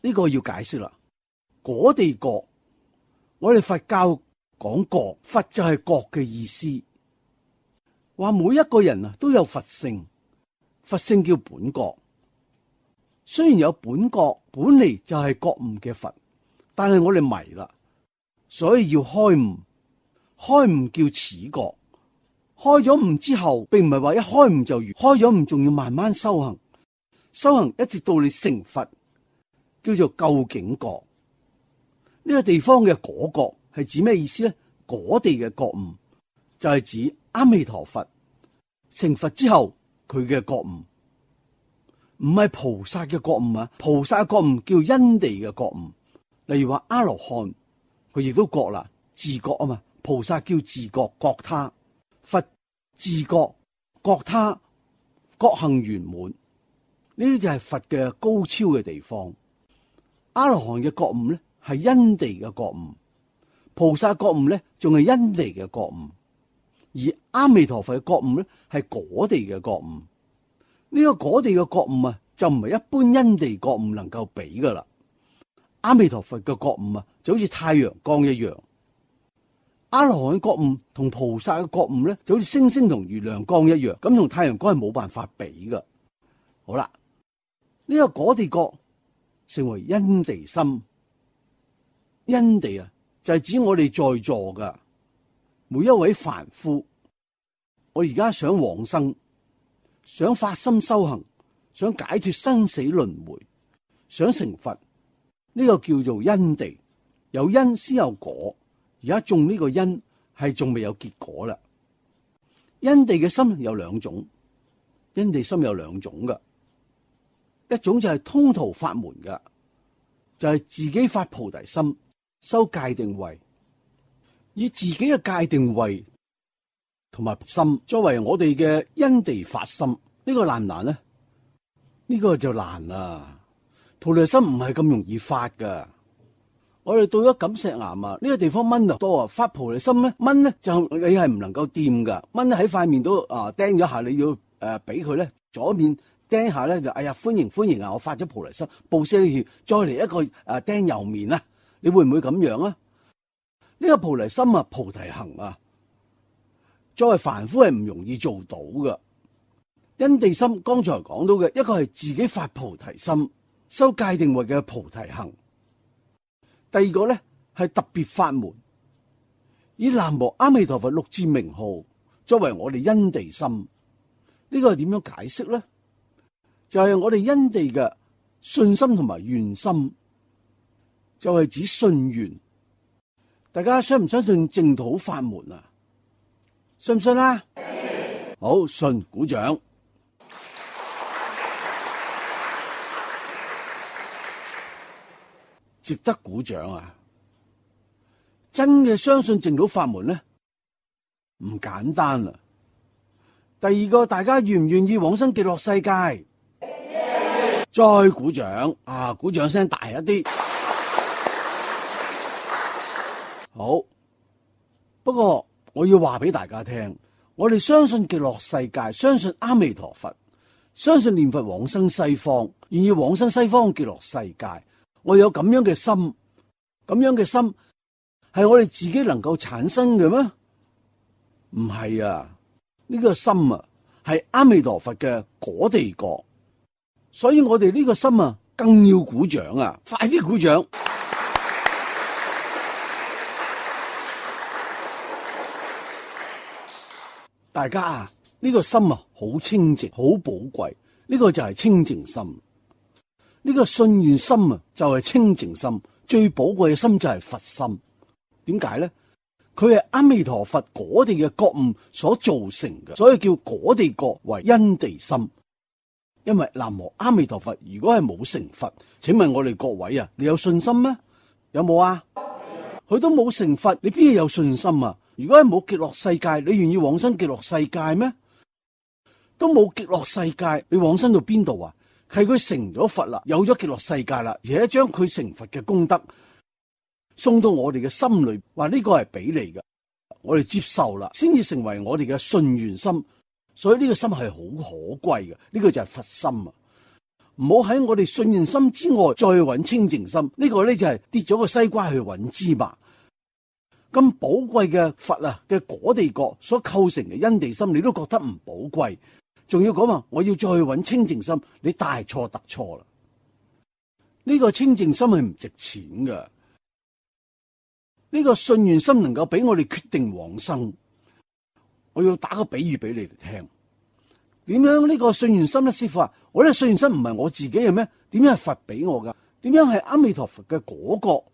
A: 呢個要解釋啦。果地覺，我哋佛教講覺，佛就係覺嘅意思，話每一個人啊都有佛性，佛性叫本覺。雖然有本覺，本嚟就係覺悟嘅佛，但係我哋迷啦，所以要開悟。開悟叫此覺，開咗悟之後，並唔係話一開悟就完，開咗悟仲要慢慢修行。修行一直到你成佛，叫做究竟覺。呢個地方嘅果覺係指咩意思咧？果地嘅覺悟就係指阿彌陀佛成佛之後佢嘅覺悟，唔係菩薩嘅覺悟啊！菩薩嘅覺悟叫因地嘅覺悟。例如話阿羅漢，佢亦都覺啦，自覺啊嘛。菩薩叫自覺覺他，佛自覺覺他，覺行圓滿。呢啲就係佛嘅高超嘅地方。阿羅漢嘅覺悟咧係因地嘅覺悟，菩薩覺悟咧仲係因地嘅覺悟，而阿彌陀佛嘅覺悟咧係果地嘅覺悟。呢個果地嘅覺悟啊，就唔係一般因地覺悟能夠比噶啦。阿彌陀佛嘅覺悟啊，就好似太陽光一樣；阿羅漢嘅覺悟同菩薩嘅覺悟咧，就好似星星同月亮光一樣。咁同太陽光係冇辦法比噶。好啦。呢個果地覺成為因地心，因地啊就係指我哋在座嘅每一位凡夫。我而家想往生，想發心修行，想解脫生死輪迴，想成佛，呢個叫做因地。有因先有果，而家種呢個因係仲未有結果啦。因地嘅心有兩種，因地心有兩種嘅。一種就係通途法門嘅，就係自己發菩提心，修戒定慧，以自己嘅戒定慧同埋心作為我哋嘅因地發心。呢個難唔難呢？呢個就難啦。菩提心唔係咁容易發噶。我哋到咗錦石岩啊，呢個地方蚊就多啊，發菩提心咧，蚊咧就你係唔能夠掂噶。蚊喺塊面都釘咗下，你要俾佢咧左面釘下咧就哎呀歡迎啊！我發咗菩提心，布施呢條，再嚟一個釘右面啊！你會唔會咁樣啊？呢個菩提心啊，菩提行啊，作為凡夫係唔容易做到噶。因地心剛才講到嘅一個係自己發菩提心，修戒定慧嘅菩提行。第二個咧係特別法門，以南無阿彌陀佛六字名號作為我哋因地心。呢個係點樣解釋咧？就係我哋因地嘅信心同埋願心，就係指信願。大家相唔相信淨土法門啊？信唔信啊？好，信，鼓掌。值得鼓掌啊！真嘅相信淨土法門咧，唔簡單啊！第二個，大家願唔願意往生極樂世界？再鼓掌啊！鼓掌聲大一啲。好，不過我要話俾大家聽，我哋相信極樂世界，相信阿彌陀佛，相信念佛往生西方，願意往生西方極樂世界。我有咁樣嘅心，咁樣嘅心係我哋自己能夠產生嘅咩？唔係啊！呢個心啊，係阿彌陀佛嘅果地國，所以我哋呢個心啊，更要鼓掌啊！快啲鼓掌！大家啊，呢個心啊，好清淨，好寶貴。呢個就係清淨心。呢個信願心啊，就係清淨心。最寶貴嘅心就係佛心。點解咧？佢係阿彌陀佛果地嘅覺悟所造成嘅，所以叫果地覺為因地心。因為南無阿彌陀佛，如果係冇成佛，請問我哋各位啊，你有信心咩？有冇啊？佢都冇成佛，你邊有信心啊？如果係冇極樂世界，你願意往生極樂世界咩？都冇極樂世界，你往生到邊度啊？係佢成咗佛啦，有咗極樂世界啦，而且將佢成佛嘅功德送到我哋嘅心裏，話呢個係俾你嘅，我哋接受啦，先至成為我哋嘅信願心。所以呢個心係好可貴嘅，呢個就係佛心啊！唔好喺我哋信願心之外再去揾清淨心，呢個咧就係跌咗個西瓜去揾芝麻。咁寶貴嘅佛啊嘅果地覺所構成嘅因地心，你都覺得唔寶貴，仲要講話我要再去揾清淨心，你大錯特錯啦！呢個清淨心係唔值錢㗎，呢個信願心能夠俾我哋決定往生。我要打個比喻俾你哋聽，點樣呢個信願心咧？師父啊，我呢個信願心唔係我自己嘅咩？點樣係佛俾我噶？點樣係阿彌陀佛嘅果覺？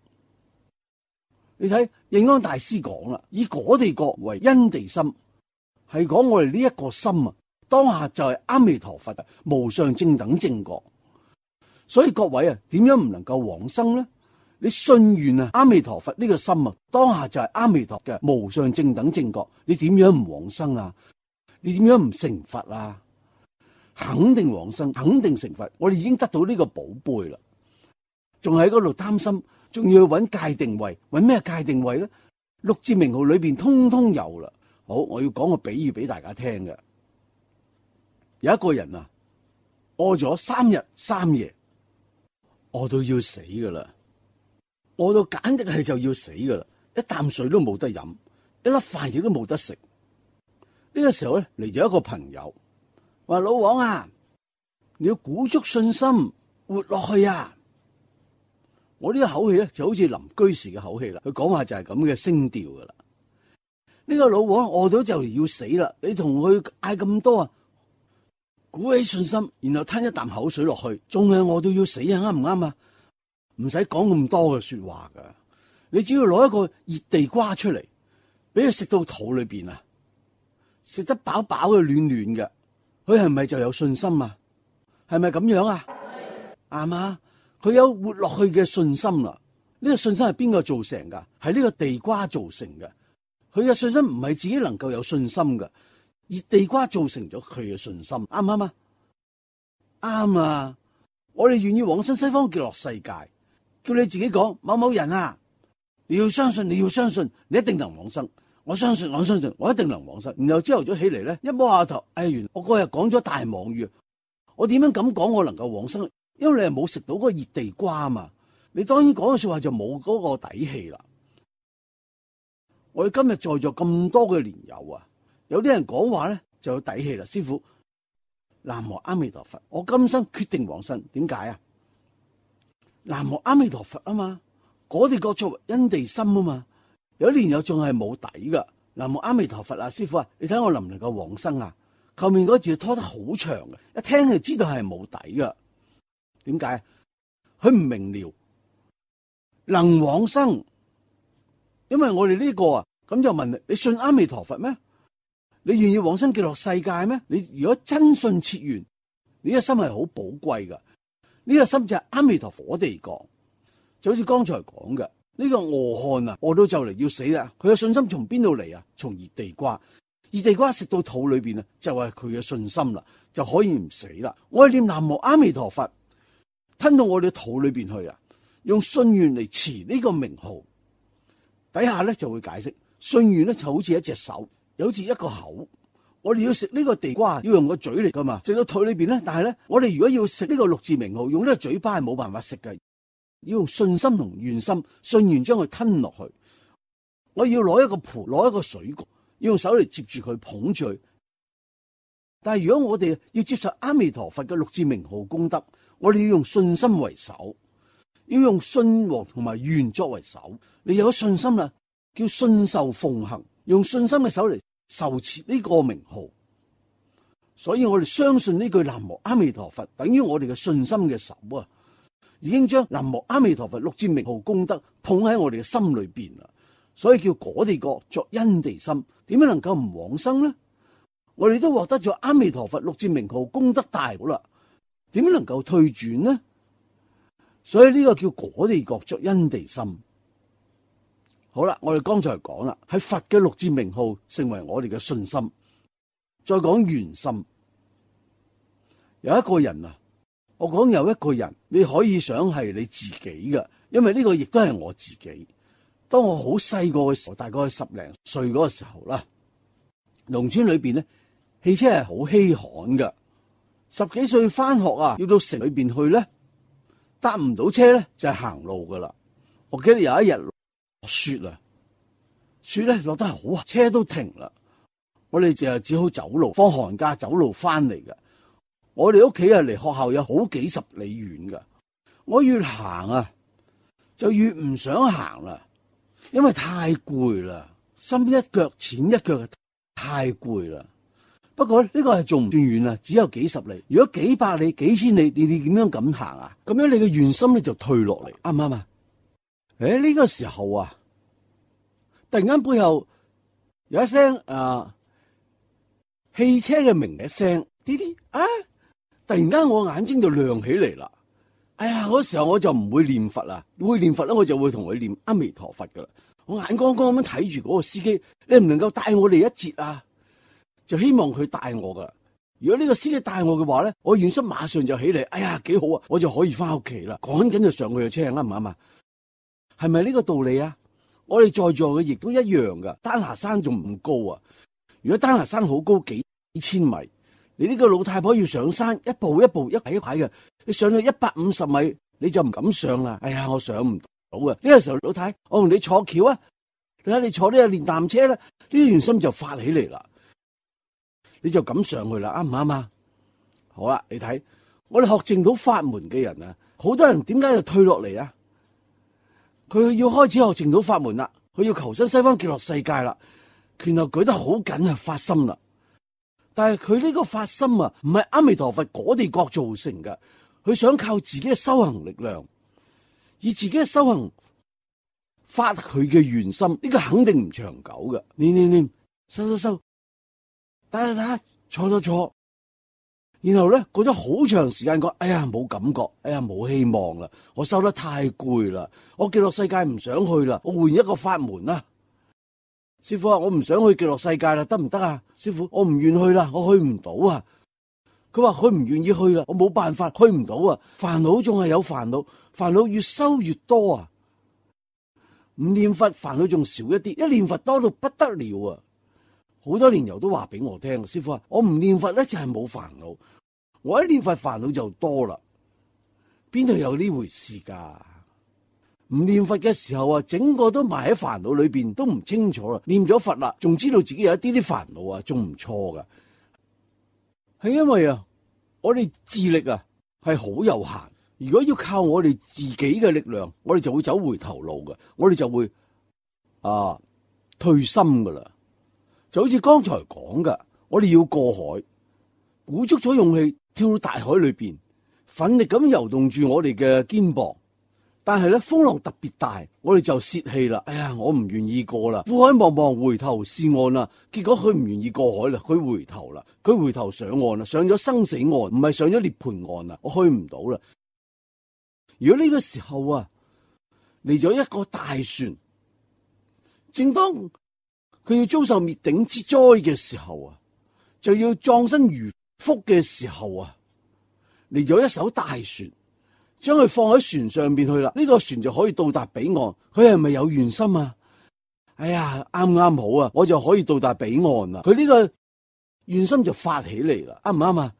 A: 你睇應安大師講啦，以果地覺為因地心，係講我哋呢一個心啊，當下就係阿彌陀佛無上正等正覺。所以各位啊，點樣唔能夠往生呢？你信願啊，阿彌陀佛呢個心啊，當下就係阿彌陀嘅無上正等正覺。你點樣唔往生啊？你點樣唔成佛啊？肯定往生，肯定成佛。我哋已經得到呢個寶貝啦，仲喺嗰度擔心，仲要去揾戒定慧，揾咩戒定慧咧？六字名號裏邊通通有啦。好，我要講個比喻俾大家聽嘅。有一個人啊，餓咗3日3夜，餓到要死噶啦。餓到簡直係就要死噶啦，一啖水都冇得飲，一粒飯亦都冇得食。呢個時候咧，嚟咗一個朋友，話老王啊，你要鼓足信心活落去啊！我呢個口氣咧就好似林居士嘅口氣啦，佢講話就係咁嘅聲調噶啦。呢個老王餓到就嚟要死啦，你同佢嗌咁多啊，鼓起信心，然後吞一啖口水落去，仲係餓到要死啊？啱唔啱啊？唔使講咁多嘅說話噶，你只要攞一個熱地瓜出嚟，俾佢食到肚裏邊啊，食得飽飽嘅暖暖嘅，佢係咪就有信心啊？係咪咁樣啊？啱啊！佢有活落去嘅信心啦。呢個信心係邊個造成噶？係呢個地瓜造成嘅。佢嘅信心唔係自己能夠有信心噶，熱地瓜造成咗佢嘅信心，啱唔啱啊？啱啊！我哋願意往生西方極樂世界。叫你自己講，某某人啊，你要相信，你要相信，你一定能往生。我相信，我相信，我一定能往生。然後朝頭早起嚟咧，一摸下頭，原來我嗰日講咗大妄語，我點樣咁講我能夠往生？因為你係冇食到嗰個熱地瓜嘛，你當然講嘅說話就冇嗰個底氣啦。我哋今日在座咁多嘅蓮友啊，有啲人講話咧就有底氣啦。師父，南無阿彌陀佛，我今生決定往生。點解啊？南無阿彌陀佛啊嘛，我哋各作為因地心啊嘛。有啲蓮友仲係冇底噶。南無阿彌陀佛啊，師父啊，你睇我能唔能夠往生啊？後面嗰字拖得好長嘅，一聽就知道係冇底噶。點解？佢唔明了，能往生，因為我哋呢個啊，咁就問你信阿彌陀佛咩？你願意往生極樂世界咩？你如果真信切願，你個心係好寶貴噶。呢個心就係阿彌陀佛地講，就好似剛才講嘅呢個餓漢啊，餓到就嚟要死啦。佢嘅信心從邊度嚟啊？從熱地瓜。熱地瓜食到肚裏邊啊，就係佢嘅信心啦，就可以唔死啦。我哋念南無阿彌陀佛，吞到我哋肚裏邊去啊，用信願嚟持呢個名號。底下咧就會解釋，信願咧就好似一隻手，又好似一個口。我哋要食呢個地瓜，要用個嘴嚟噶嘛，食到肚裏邊咧。但係咧，我哋如果要食呢個六字名號，用呢個嘴巴係冇辦法食嘅，要用信心同願心，信願將佢吞落去。我要攞一個盤，攞一個水果，要用手嚟接住佢，捧住佢。但係如果我哋要接受阿彌陀佛嘅六字名號功德，我哋要用信心為首，要用信和同埋願作為首。你有咗信心啦，叫信受奉行，用信心嘅手嚟受持呢個名號。所以我哋相信呢句南無阿彌陀佛，等於我哋嘅信心嘅手啊，已經將南無阿彌陀佛六字名號功德捧喺我哋嘅心裏邊啦。所以叫果地國作因地心，點樣能夠唔往生呢？我哋都獲得咗阿彌陀佛六字名號功德大好啦，點樣能夠退轉呢？所以呢個叫果地國作因地心。好啦，我哋剛才講啦，係佛嘅六字名號成為我哋嘅信心。再講願心，有一個人啊，我講有一個人，你可以想係你自己嘅，因為呢個亦都係我自己。當我好細個嘅時候，大概10零歲嗰個時候啦，農村裏邊咧，汽車係好稀罕㗎。10幾歲翻學啊，要到城裏邊去咧，搭唔到車咧就係行路噶啦。我記得有一日落雪啊，雪咧落得係好，車都停啦。我哋就只好走路，放寒假走路翻嚟㗎。我哋屋企啊離學校有好幾十里遠噶。我越行啊，就越唔想行啦。因為太攰啦，深一腳淺一腳，太攰啦。不過呢個係仲唔算遠啊，只有幾十里。如果幾百里、幾千里，你點樣咁行啊？咁樣你嘅願心咧就退落嚟，啱唔啱啊？呢個時候啊，突然間背後有一聲汽車嘅鳴一聲，滴滴啊！突然間我眼睛就亮起嚟啦。哎呀，嗰時候我就唔會念佛啦，會念佛咧，我就會同佢念阿彌陀佛噶啦。我眼光光咁樣睇住嗰個司機，你唔能夠帶我哋一節啊？就希望佢帶我噶。如果呢個司機帶我嘅話咧，我願心馬上就起嚟。哎呀，幾好啊，我就可以翻屋企啦。趕緊就上佢嘅車，啱唔啱啊？係咪呢個道理啊？我哋在座嘅亦都一樣噶。丹霞山仲唔高啊？如果丹霞山好高幾千米，你呢個老太婆要上山，一步一步一排一排嘅。你上到150米，你就唔敢上啦。哎呀，我上唔到啊！呢個時候，老太，我同你坐橋啊！你睇你坐呢個電單車啦，呢啲願心就發起嚟啦，你就敢上去啦，啱唔啱啊？好啦，你睇我哋學淨土法門嘅人啊，好多人點解就退落嚟啊？佢要開始學淨土法門啦，佢要求生西方極樂世界啦，拳頭舉得好緊啊，發心啦。但係佢呢個發心啊，唔係阿彌陀佛果地國造成嘅。佢想靠自己嘅修行力量，以自己嘅修行發佢嘅願心，呢個肯定唔長久嘅。念，收，打，坐，然後咧過咗好長時間，講哎呀冇感覺，哎呀冇希望啦，我修得太攰啦，我極樂世界唔想去啦，我換一個法門啦。師父啊，我唔想去極樂世界啦，得唔得啊？師父，我唔願去啦，我去唔到啊。佢話佢唔願意去啦，我冇辦法，去唔到啊！煩惱仲係有煩惱，煩惱越收越多啊！唔念佛煩惱仲少一啲，一念佛多到不得了啊！好多蓮友都話俾我聽，師父啊，我唔念佛咧就係冇煩惱，我一念佛煩惱就多啦，邊度有呢回事噶？唔念佛嘅時候啊，整個都埋喺煩惱裏邊，都唔清楚啦。念咗佛啦，仲知道自己有一啲啲煩惱啊，仲唔錯噶。係因為啊，我哋智力啊係好有限。如果要靠我哋自己嘅力量，我哋就會走回頭路嘅，我哋就會退心噶啦。就好似剛才講噶，我哋要過海，鼓足咗勇氣跳到大海裏邊，奮力咁游動住我哋嘅肩膀。但係咧，風浪特別大，我哋就泄氣啦。哎呀，我唔願意過啦，苦海茫茫，回頭是岸啦。結果佢唔願意過海啦，佢回頭啦，佢回頭上岸啦，上咗生死岸，唔係上咗涅槃岸啦，我去唔到啦。如果呢個時候啊，嚟咗一個大船，正當佢要遭受滅頂之災嘅時候啊，就要葬身魚腹嘅時候啊，嚟咗一艘大船。將佢放喺船上邊去啦，呢個船就可以到達彼岸。佢係咪有願心啊？哎呀，啱啱好啊，我就可以到達彼岸啦。佢呢個願心就發起嚟啦，啱唔啱啊？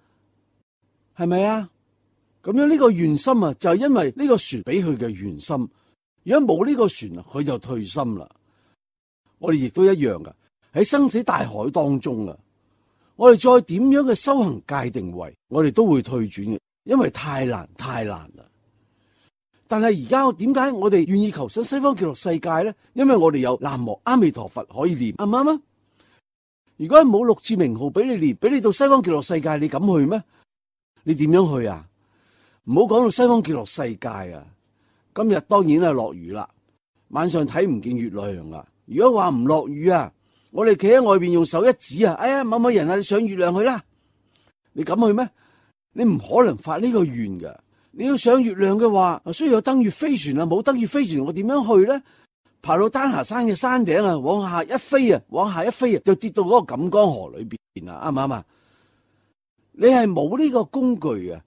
A: 係咪啊？咁樣呢個願心啊，就係因為呢個船俾佢嘅願心。如果冇呢個船啊，佢就退心啦。我哋亦都一樣噶，喺生死大海當中啊，我哋再點樣嘅修行界定位，我哋都會退轉嘅，因為太難啦。但係而家點解我哋願意求生西方極樂世界咧？因為我哋有南無阿彌陀佛可以念，啱唔啱啊？如果冇六字名號俾你念，俾你到西方極樂世界，你敢去咩？你點樣去啊？唔好講到西方極樂世界啊！今日當然係落雨啦，晚上睇唔見月亮啦。如果話唔落雨啊，我哋企喺外邊用手一指啊，哎呀，某某人啊，你上月亮去啦，你敢去咩？你唔可能發呢個願噶。你要上月亮嘅話，需要有登月飛船啊，冇登月飛船，我點樣去咧？爬到丹霞山嘅山頂啊，往下一飛啊，就跌到嗰個錦江河裏邊啊，啱唔啱啊？你係冇呢個工具啊，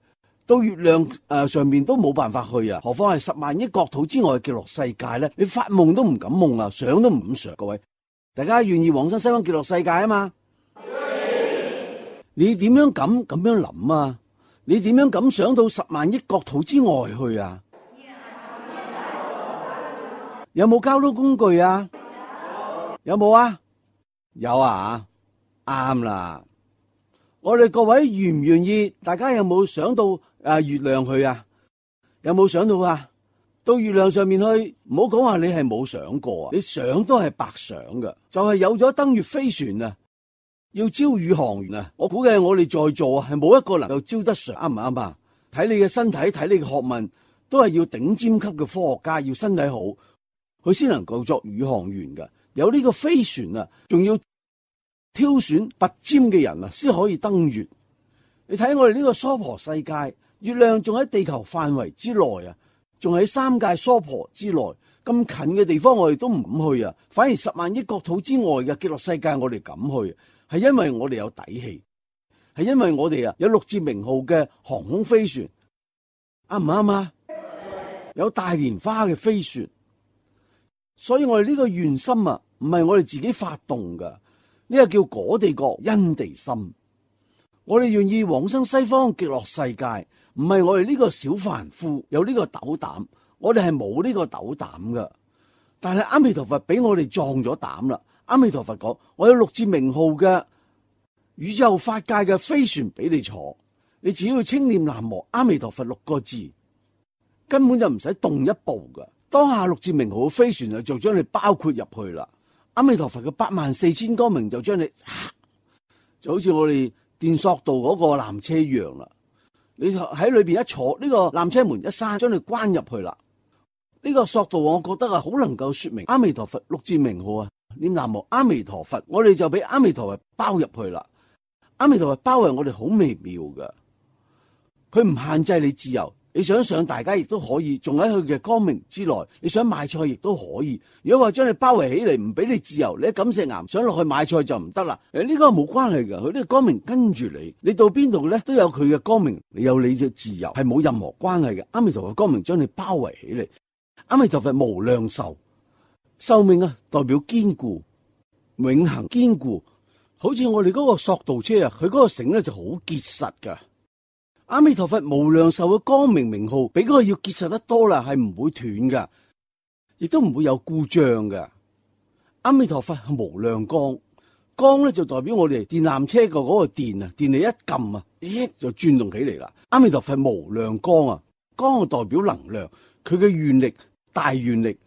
A: 到月亮上面都冇辦法去啊，何況係10萬億國土之外嘅極樂世界咧？你發夢都唔敢夢啊，想都唔敢想。各位，大家願意往生西方極樂世界啊嘛？你點樣敢咁樣諗啊？你點樣敢想到10萬億國土之外去啊？有冇交通工具啊？有冇啊？有啊，啱啦。我哋各位願唔願意？大家有冇想到月亮去啊？有冇想到啊？到月亮上面去，唔好講話你係冇想過啊！你想都係白想噶，就係有咗登月飛船啊！要招宇航員啊！我估計我哋在座係冇一個能夠招得上，啱唔啱啊？睇你嘅身體，睇你嘅學問，都係要頂尖級嘅科學家，要身體好，佢先能夠作宇航員噶。有呢個飛船啊，仲要挑選拔尖嘅人啊，先可以登月。你睇我哋呢個娑婆世界，月亮仲喺地球範圍之內啊，仲喺三界娑婆之內，咁近嘅地方我哋都唔敢去啊，反而10萬億國土之外嘅極樂世界我哋敢去。係因為我哋有底氣，係因為我哋有6字名號嘅航空飛船，啱唔啱啊？有大蓮花嘅飛船，所以我哋呢個願心啊，唔係我哋自己發動噶，呢個叫果地覺因地心。我哋願意往生西方極樂世界，唔係我哋呢個小凡夫有呢個斗膽，我哋係冇呢個斗膽噶。但係阿彌陀佛俾我哋壯咗膽啦。阿彌陀佛講，我有6字名號嘅宇宙法界嘅飛船俾你坐，你只要稱念南無阿彌陀佛6個字，根本就唔使動一步噶。當下6字名號嘅飛船就將你包括入去啦。阿彌陀佛嘅84000光明就將你，就好似我哋電索道嗰個纜車一樣啦。你就喺裏邊一坐，呢個纜車門一閂，將你關入去啦。呢個索道我覺得好能夠說明阿彌陀佛6字名號啊。念南無阿彌陀佛，我哋就俾阿彌陀佛包入去啦。阿彌陀佛包圍我哋好微妙噶，佢唔限制你自由，你想上大家亦都可以，仲喺佢嘅光明之內。你想買菜亦都可以。如果話將你包圍起嚟，唔俾你自由，你喺錦石岩想落去買菜就唔得啦。呢個冇關係噶，佢呢個光明跟住你，你到邊度咧都有佢嘅光明，你有你嘅自由，係冇任何關係嘅。阿彌陀佛光明將你包圍起嚟，阿彌陀佛無量壽。壽命啊，代表堅固、永恆堅固，好似我哋嗰個索道車啊，佢嗰個繩咧就好結實噶。阿彌陀佛無量壽嘅光明名號，比嗰個要結實得多啦，係唔會斷噶，亦都唔會有故障噶。阿彌陀佛係無量光，光咧就代表我哋電纜車嘅嗰個電啊，電力一撳啊，就轉動起嚟啦。阿彌陀佛無量光啊，光係代表能量，佢嘅願力大願力，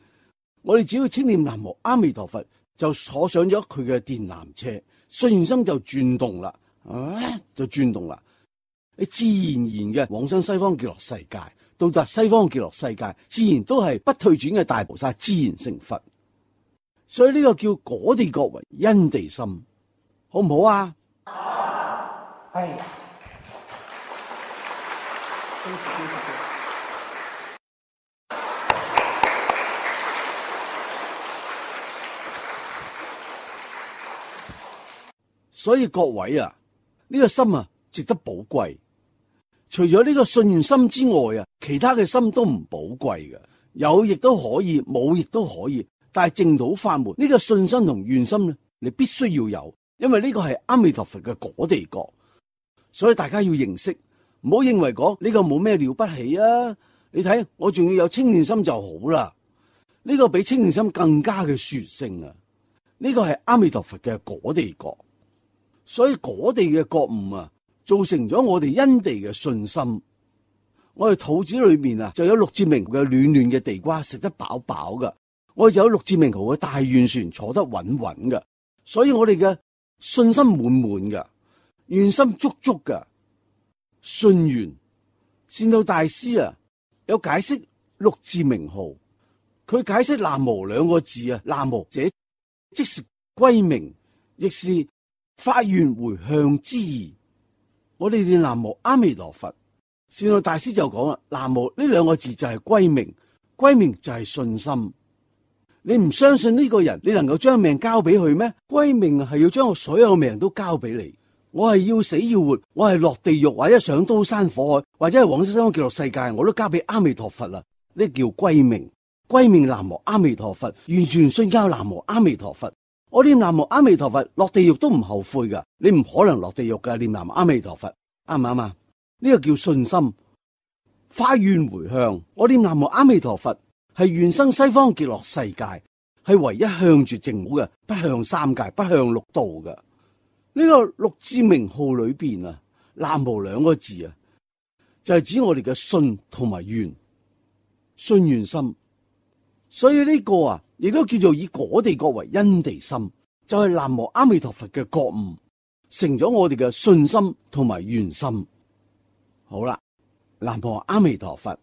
A: 我哋只要稱念南無阿彌陀佛，就坐上咗佢嘅電纜車，信願心就轉動啦，就轉動啦。你自然嘅往生西方極樂世界，到達西方極樂世界，自然都係不退轉嘅大菩薩，自然成佛。所以呢個叫果地覺為因地心，好唔好啊？係。所以各位啊，呢個心啊值得寶貴。除咗呢個信願心之外啊，其他嘅心都唔寶貴嘅，有亦都可以，冇亦都可以。但係淨土法門呢個信心同願心咧，你必須要有，因為呢個係阿彌陀佛嘅果地覺，所以大家要認識，唔好認為講呢個冇咩了不起啊！你睇我仲要有稱念心就好啦，呢個比稱念心更加嘅殊勝啊！呢個係阿彌陀佛嘅果地覺，所以果地嘅覺悟啊，造成咗我哋因地嘅信心。我哋肚子裏面啊，就有六字明嘅暖暖嘅地瓜，食得飽飽噶。我哋就有六字明號嘅大願船，坐得穩穩噶。所以我哋嘅信心滿滿噶，願心足足噶。信願善導大師啊，有解釋六字明號。佢解釋南無兩個字啊，南無者即是歸命，亦是發願回向之意。我哋念南無阿彌陀佛，善導大師就講啦，南無呢兩個字就係歸命，歸命就係信心。你唔相信呢個人，你能夠將命交俾佢咩？歸命係要將我所有命都交俾你。我係要死要活，我係落地獄或者上刀山火海，或者係往生西方極樂世界，我都交俾阿彌陀佛啦。呢叫歸命。歸命南無阿彌陀佛，完全信交南無阿彌陀佛。我念南無阿彌陀佛，落地獄都唔後悔噶。你唔可能落地獄噶，念南無阿彌陀佛，啱唔啱啊？呢個叫信心。發願回向，我念南無阿彌陀佛，係願生西方極樂世界，係唯一向住淨土嘅，不向三界，不向六道嘅。呢個六字名號裏邊啊，南無兩個字啊，就係指我哋嘅信同埋願，信願心。所以呢個啊，亦都叫做以果地覺為因地心，就係南無阿彌陀佛嘅覺悟，成咗我哋嘅信心同埋願心。好啦，南無阿彌陀佛。